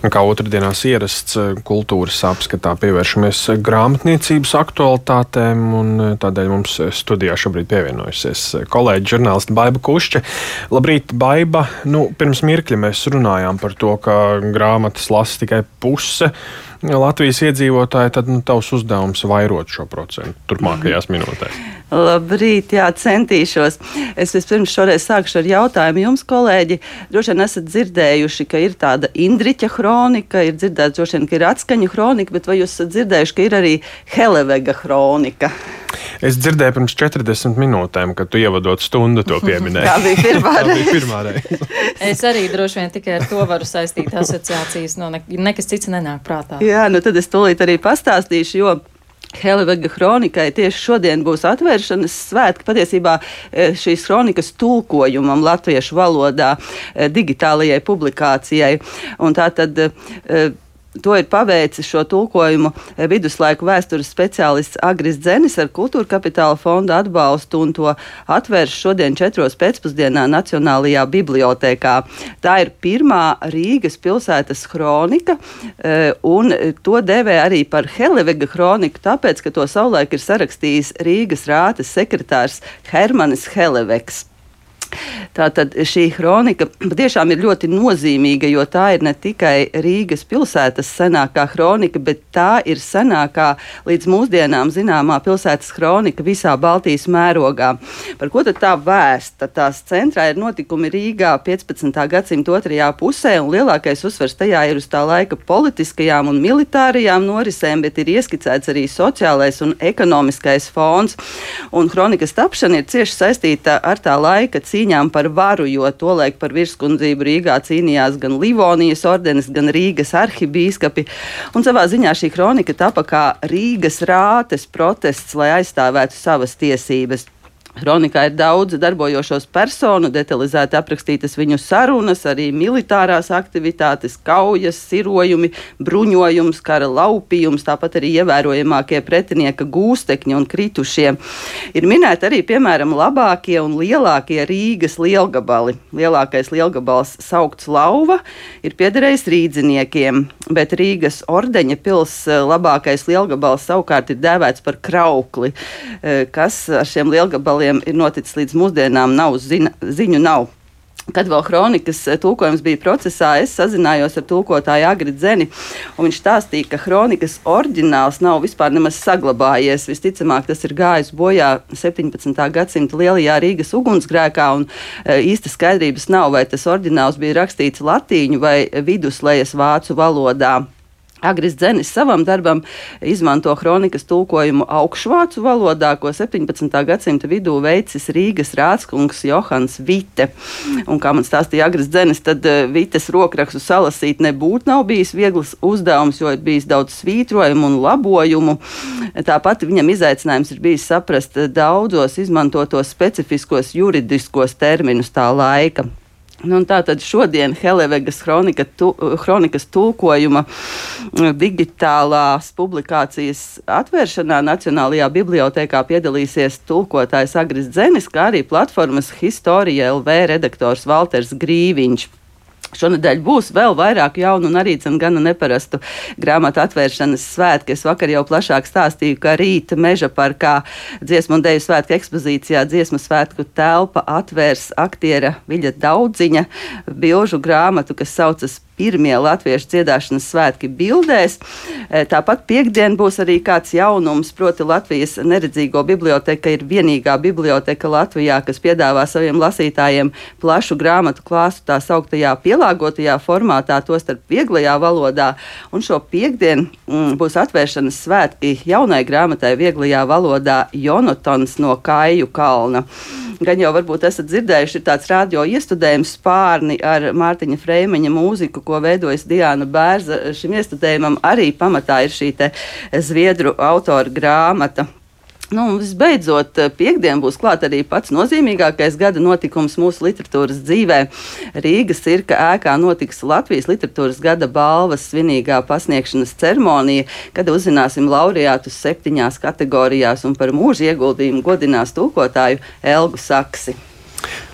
Kā otrdienās ierasts kultūras apskatā pievēršamies grāmatniecības aktualitātēm, un tādēļ mums studijā šobrīd pievienojusies kolēģi žurnālisti Baiba Kušķe. Labrīt, Baiba! Pirms mirkļa mēs runājām par to, ka grāmatas lasa tikai puse Latvijas iedzīvotāji, tad tavs uzdevums vairot šo procentu turpmākajās minūtēs. Labrīt, jā, centīšos. Es vispirms šoreiz sākšu ar jautājumu jums, kolēģi. Droši vien esat dzirdējuši, ka ir tāda Indriķa hronika, ir dzirdēts droši vien, ka ir Atskaņu hronika, bet vai jūs esat dzirdējuši, ka ir arī Helevega hronika? Es dzirdēju pirms 40 minūtēm, kad tu ievadot stundu to pieminēji. Tā bija pirmā reize. Es arī droši vien tikai ar to varu saistīt asociācijas, nekas cits nenāk prātā. Jā, tad es tūlīt arī pastāstīšu, jo Helevega hronikai tieši šodien būs atvēršanas svētki. Patiesībā šīs hronikas tulkojumam latviešu valodā digitālajai publikācijai. Un tātad to ir paveicis šo tulkojumu viduslaiku vēstures speciālists Agris Dzenis ar Kultūra Kapitāla fonda atbalstu, un to atvērš šodien 4. pēcpusdienā Nacionālajā bibliotēkā. Tā ir pirmā Rīgas pilsētas hronika, un to dēvē arī par Helevega hroniku, tāpēc, ka to savulaik ir sarakstījis Rīgas rātes sekretārs Hermanis Helevegs. Tātad šī hronika patiešām ir ļoti nozīmīga, jo tā ir ne tikai Rīgas pilsētas senākā hronika, bet tā ir senākā līdz mūsdienām zināmā pilsētas hronika visā Baltijas mērogā. Par ko tad tā vēsta? Tās centrā ir notikumi Rīgā 15. gadsimta otrajā pusē, un lielākais uzsvers tajā ir uz tā laika politiskajām un militārajām norisēm, bet ir ieskicēts arī sociālais un ekonomiskais fons. Un hronikas tapšana ir cieši saistīta ar tā laika cīņām par varu, jo tolaik par virskundzību Rīgā cīnījās gan Livonijas ordenis, gan Rīgas arhibīskapi. Un savā ziņā šī hronika tapa kā Rīgas rātes protests, lai aizstāvētu savas tiesības. Hronikā ir daudz darbojošos personu, detalizēti aprakstītas viņu sarunas, arī militārās aktivitātes, kaujas, sirojumi, bruņojums, kara laupījums, tāpat arī ievērojamākie pretinieka gūstekņi un kritušie. Ir minēti arī, piemēram, labākie un lielākie Rīgas lielgabali. Lielākais lielgabals saukts Lauva ir piederējis rīdziniekiem, bet Rīgas ordeņa pils labākais lielgabals savukārt ir dēvēts par Kraukli, kas ar šiem lielgabaliem ir noticis līdz mūsdienām, ziņu nav. Kad vēl hronikas tulkojums bija procesā, es sazinājos ar tulkotāju Agri Dzeni, un viņš stāstīja, ka hronikas oriģināls nav vispār nemaz saglabājies. Visticamāk, tas ir gājis bojā 17. gadsimta lielajā Rīgas ugunsgrēkā, un īsta skaidrības nav, vai tas oriģināls bija rakstīts latīņu vai viduslejas vācu valodā. Agris Dzenis savam darbam izmanto hronikas tulkojumu augšvācu valodā, ko 17. gadsimta vidū veicis Rīgas rādskungs Johans Vite. Un, kā man stāstīja Agris Dzenis, tad Vites rokrakstu salasīt nebūtu nav bijis viegls uzdevums, jo ir bijis daudz svītrojumu un labojumu. Tāpat viņam izaicinājums ir bijis saprast daudzos izmantotos specifiskos juridiskos terminus tā laika. Tātad šodien Helevegas hronikas tulkojuma digitālās publikācijas atvēršanā Nacionālajā bibliotēkā piedalīsies tulkotājs Agris Dzenis, kā arī platformas Historija LV redaktors Valters Grīviņš. Šonedēļ būs vēl vairāk jaunu un arī gana neparastu grāmatu atvēršanas svētki. Es vakar jau plašāk stāstīju, ka rīt Meža parkā dziesmu un deju svētku ekspozīcijā dziesmu svētku telpa atvērs aktiera Viļa Daudziņa bilžu grāmatu, kas saucas Pirmie latviešu dziedāšanas svētki bildēs. Tāpat piekdien būs arī kāds jaunums, proti Latvijas neredzīgo biblioteka ir vienīgā biblioteka Latvijā, kas piedāvā saviem lasītājiem plašu grāmatu klāstu tā sauktajā pielāgotajā formātā, tostarp vieglajā valodā. Un šo piekdien būs atvēršanas svētki jaunai grāmatai vieglajā valodā Jonatans no Kaiju kalna. Gan jau varbūt esat dzirdējuši, ir tāds radio iestudējums Spārni ar Mārtiņa Freimeņa mūziku, ko veidojas Diana Bērza. Šim iestudējumam arī pamatā ir šī te zviedru autora grāmata. Visbeidzot, piekdien būs klāt arī pats nozīmīgākais gada notikums mūsu literatūras dzīvē. Rīgas cirka ēkā notiks Latvijas literatūras gada balvas svinīgā pasniegšanas ceremonija, kad uzzināsim laureātus 7 kategorijās un par mūža ieguldījumu godinās tulkotāju Elgu Saksi.